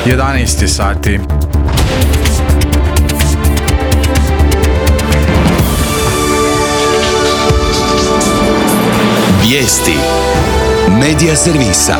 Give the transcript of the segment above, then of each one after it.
11 sati. Vijesti Medija servisa.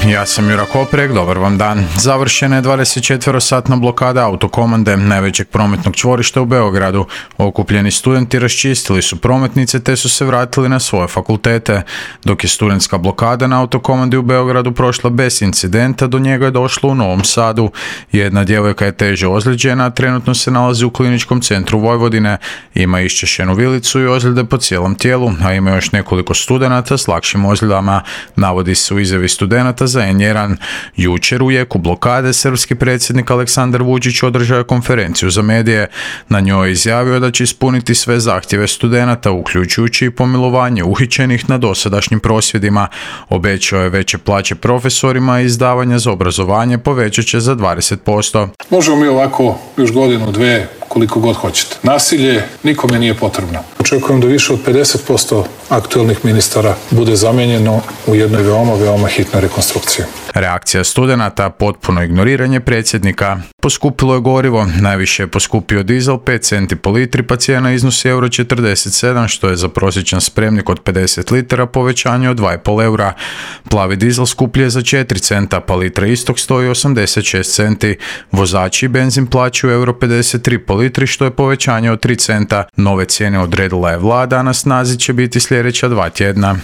Ja sam Jura Koprek, dobar vam dan. Završena je 24-satna blokada autokomande najvećeg prometnog čvorišta u Beogradu. Okupljeni studenti raščistili su prometnice te su se vratili na svoje fakultete. Dok je studentska blokada na autokomandi u Beogradu prošla bez incidenta, do njega je došlo u Novom Sadu. Jedna djevojka je teže ozlijeđena, a trenutno se nalazi u kliničkom centru Vojvodine. Ima iščešenu vilicu i ozljede po cijelom tijelu, a ima još nekoliko studenata s lakšim ozljedama. Navodi se u izjavi studenata za N1. Jučer u jeku blokade srpski predsjednik Aleksandar Vučić održao je konferenciju za medije. Na njoj je izjavio da će ispuniti sve zahtjeve studenata, uključujući i pomilovanje uhićenih na dosadašnjim prosvjedima. Obećao je veće plaće profesorima i izdavanja za obrazovanje povećat će za 20%. Možemo mi ovako još godinu, dve, koliko god hoćete. Nasilje nikome nije potrebno. Očekujem da više od 50% aktuelnih ministara bude zamijenjeno u jednoj veoma hitnoj rekonstrukciji. Reakcija studenata, potpuno ignoriranje predsjednika. Poskupilo je gorivo, najviše je poskupio dizel 5 centi po litri, pa cijena iznosi €47, što je za prosječan spremnik od 50 litara povećanje od 2,5 eura. Plavi dizel skuplji je za 4 centa, pa litra istog stoji 86 centi. Vozači i benzin plaćaju €53 po litri, što je povećanje od 3 centa. Nove cijene odredila je vlada, a na snazi će biti sljedeća 2 tjedna.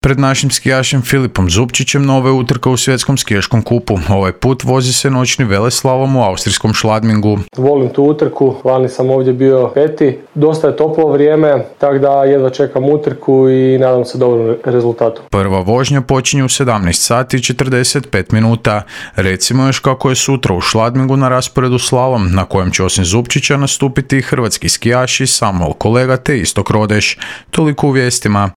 Pred našim skijašem Filipom Zupčićem nova je utrka u svjetskom skijaškom kupu. Ovaj put vozi se noćni veleslalom u austrijskom Schladmingu. Volim tu utrku, lani sam ovdje bio peti. Dosta je toplo vrijeme, tako da jedva čekam utrku i nadam se dobrom rezultatu. Prva vožnja počinje u 17 sati i 45 minuta. Recimo još kako je sutra u Schladmingu na rasporedu slalom, na kojem će osim Zupčića nastupiti i hrvatski skijaši Samuel Kolega te Istok Rodeš. Toliko u vijestima.